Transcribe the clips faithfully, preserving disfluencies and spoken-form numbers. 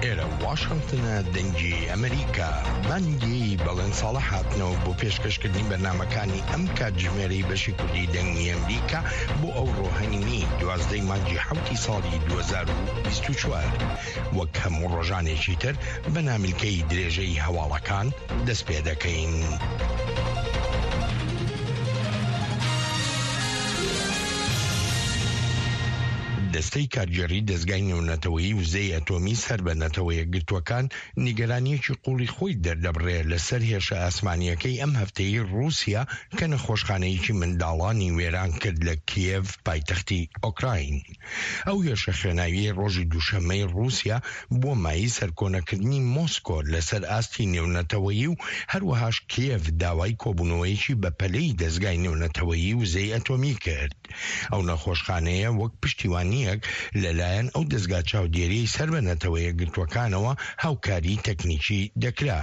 ئێرە واشنگتنە، دەنگی ئەمریکا. بانگی بەڵێن ساڵح هاتنەوە بۆ پێشکەشکردنی بەرنامەکانی ئەم کاتژمێرەی بەشی کوردی دەنگی ئەمریکا بۆ ئەوڕۆ هەینی دوازدەی مانگی حەوتی ساڵی دوو هەزار و بیست و چوار. وەک هەموو ڕۆژانێکی تر بە نامیلکەی درێژەی هەواڵەکان دەست پێ دەکەین. دەستەی کارگێڕی دەزگای نێونەتەوەیی وزەی ئەتۆمی سەر بە نەتەوە یەکگرتووەکان نیگەرانییەکی قوڵی خۆی دەردەبڕێ لەسەر هێرشە ئاسمانییەکەی ئەم هەفتەیەی ڕووسیا کە نەخۆشخانەیەکی منداڵانی وێران کرد لە کیێڤ پایتەختی ئۆکراین. ئەو هێرشە خوێناویەی ڕۆژی دووشەممەی ڕووسیا بووە مایەی سەرکۆنەکردنی مۆسکۆ لەسەر ئاستی نێونەتەوەیی و هەروەهاش کیێڤ داوای کۆبوونەوەیەکی بەپەلەی دەزگای نێونەتەوەیی وزەی ئەتۆمی کرد. ئەو نەخۆشخانەیە وەک پشتیوانییەک لەلایەن ئەو دەزگا چاودێریەی سەر بە نەتەوە یەکگرتووەکانەوە هاوکاری تەکنیکی دەکرا.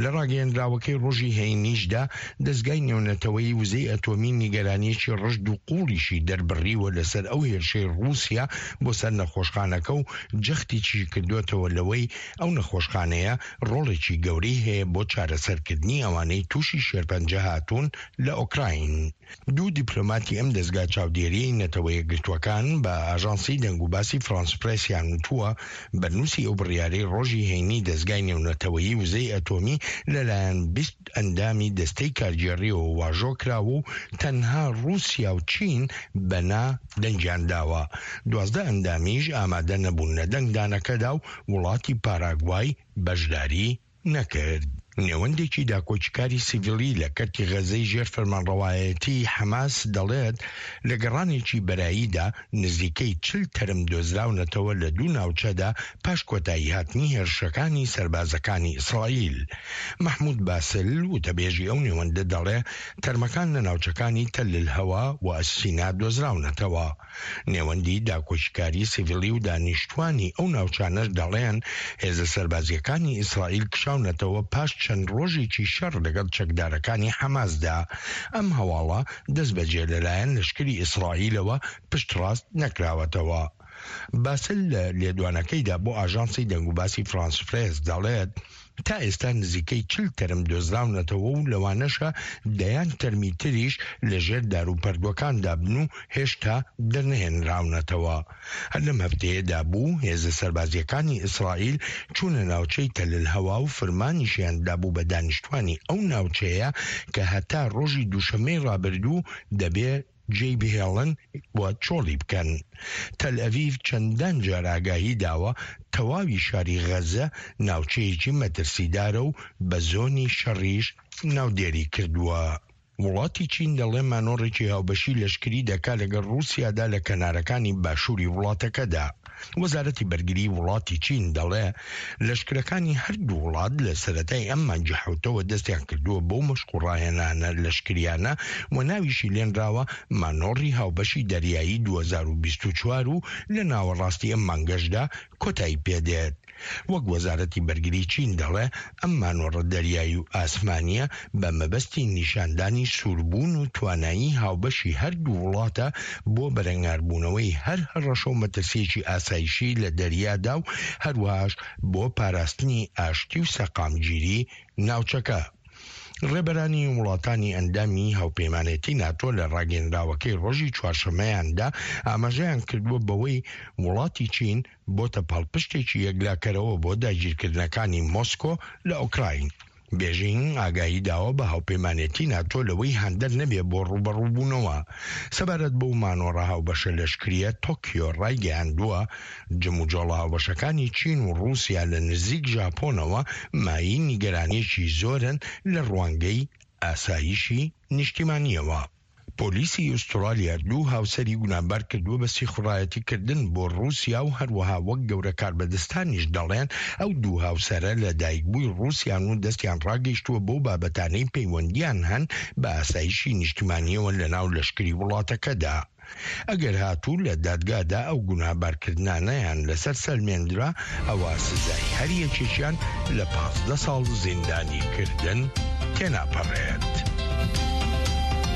لە ڕاگەیەندراوەکەی ڕۆژی هەینیشدا دەزگای نێونەتەوەیی وزەی ئەتۆمی نیگەرانییەکی ڕژد و قووڵیشی دەربڕیوە لەسەر ئەو هێرشەی ڕووسیا بۆ سەر نەخۆشخانەکە و جەختیشی کردووەتەوە لەوەی ئەو نەخۆشخانەیە ڕۆڵێکی گەورەی هەیە بۆ چارەسەرکردنی ئەوانەی تووشی شێرپەنجە هاتوون لە ئۆکراین. دوو دیپلۆماتی ئەم دەزگا چاودێریەی نەتەوە یەکگرتووەکان بە ئاژانسی دەنگوباسی فرانس پرێسیان وتووە، بەرنووسی ئەو بڕیارەی ڕۆژی هەینی دەزگای نێونەتەوەیی وزەی ئەتۆمی لەلایەن بیست ئەندامی دەستەی کارگێڕیەوە واژۆ کراوە و تەنها ڕووسیا و چین بە نا دەنگیان داوە، دوازدە ئەندامیش ئامادە نەبوون لە دەنگدانەکەدا و وڵاتی پاراگوای بەشداری نەکرد. نێوەندێکی داکۆکیکاری سیڤیلی لە کەرتی غەزەی ژێر فەرمانڕەوایەتیی حەماس دەڵێت، لە گەڕانێکی بەراییدا نزیکەی چل تەرم دۆزراونەتەوە لە دوو ناوچەدا پاش کۆتاییهاتنی هێرشەکانی سەربازەکانی ئیسرائیل. مەحمود باسل، وتەبێژی ئەو نێوەندە دەڵێ، تەرمەکان لە ناوچەکانی تەل الهوا و ئەسینا دۆزراونەتەوە. نێوەندی داکۆکیکاری سیڤیلی و دانیشتوانی ئەو ناوچانەش دەڵێن، هێزە سەربازییەکانی ئیسرائیل کشاونەتەوە پاش چەند ڕۆژێکی شەڕ لەگەڵ چەکدارەکانی حەماسدا. ئەم هەواڵە دەستبەجێ لەلایەن لەشکری ئیسرائیلەوە پشتڕاست نەکراوەتەوە. باسل لە لێدوانەکەیدا بۆ ئاژانسی دەنگوباسی فرانس پرێس دەڵێت، تا ئێستا نزیکەی چل تەرم دۆزراونەتەوە و لەوانەشە دەیان تەرمی تریش لەژێر داروپەردووەکاندا بن و هێشتا دەرنەهێنراونەتەوە. هەر لەم هەفتەیەدا بوو هێزە سەربازییەکانی ئیسرائیل چوونە ناوچەی تەل الهوا و فرمانیشیان دابوو بە دانیشتوانی ئەو ناوچەیە کە هەتا ڕۆژی دووشەممەی ڕابردوو دەبێ جێی بهێڵن و چۆڵی بکەن. تەلئەڤیڤ چەندان جار ئاگاهی داوە تەواوی شاری غەزە ناوچەیەکی مەترسیدارە و بە زۆنی شەڕیش ناودێری کردووە. وڵاتی چین دەڵێ مانۆڕێکی هاوبەشی لەشکری دەکا لەگەڵ ڕووسیادا لە کەنارەکانی باشووری وڵاتەکەدا. وەزارەتی بەرگری وڵاتی چین دەڵێ لەشکرەکانی هەردوو وڵات لە سەرەتای ئەم مانگی حەوتەوە دەستیان کردووە بەو مەشق و ڕاهێنانە لەشکریانە و ناویشی لێنراوە مانۆڕی هاوبەشی دەریایی دوو هەزار و بیست و چوار و لە ناوەڕاستی ئەم مانگەشدا کۆتایی پێدێت. وەک وەزارەتی بەرگری چین دەڵێ ئەم مانۆڕە دەریایی و ئاسمانییە بە مەبەستی نیشاندانی سووربوون و توانایی هاوبەشی هەردوو وڵاتە بۆ بەرەنگاربوونەوەی هەر هەڕەشە و مەترسییەکی ئاسایشی لە دەریادا و هەروەهاش بۆ پاراستنی ئاشتی و سەقامگیری ناوچەکە. ڕێبەرانی وڵاتانی ئەندامی هاوپەیمانێتی ناتۆ لە ڕاگەیەنراوەکەی ڕۆژی چوارشەممەیاندا ئاماژەیان کردووە بەوەی وڵاتی چین بۆتە پاڵپشتێکی یەکلاکەرەوە بۆ داگیرکردنەکانی مۆسکۆ لە ئۆکراین. بێژینگ ئاگاهی داوە بە هاوپەیمانێتی ناتۆ لەوەی هاندەر نەبێ بۆ ڕووبەڕووبوونەوە. سەبارەت بەو مانۆڕە هاوبەشە لەشکرییە، تۆکیۆ ڕایگەیاندووە، جموجۆڵە هاوبەشەکانی چین و ڕووسیا لە نزیک ژاپۆنەوە مایەی نیگەرانییەکی زۆرن لە ڕوانگەی ئاسایشی نیشتیمانییەوە. پۆلیسی ئوسترالیا دوو هاوسەری گوناهبار کردووە بە سیخوڕایەتی کردن بۆ ڕووسیا و هەروەها وەک گەورە کاربەدەستانیش دەڵێن ئەو دوو هاوسەرە لە دایکبووی ڕووسیان و دەستیان ڕاگەیشتووە بەو بابەتانەی پەیوەندیان هەن بە ئاسایشی نیشتمانییەوە لەناو لەشکری وڵاتەکەدا. ئەگەر هاتوو لە دادگادا ئەو گوناهبارکردنانەیان لەسەر سەلمێندرا ئەوا سزای هەر یەکێکیان لە پازدە ساڵ زیندانیکردن تێناپەڕێت.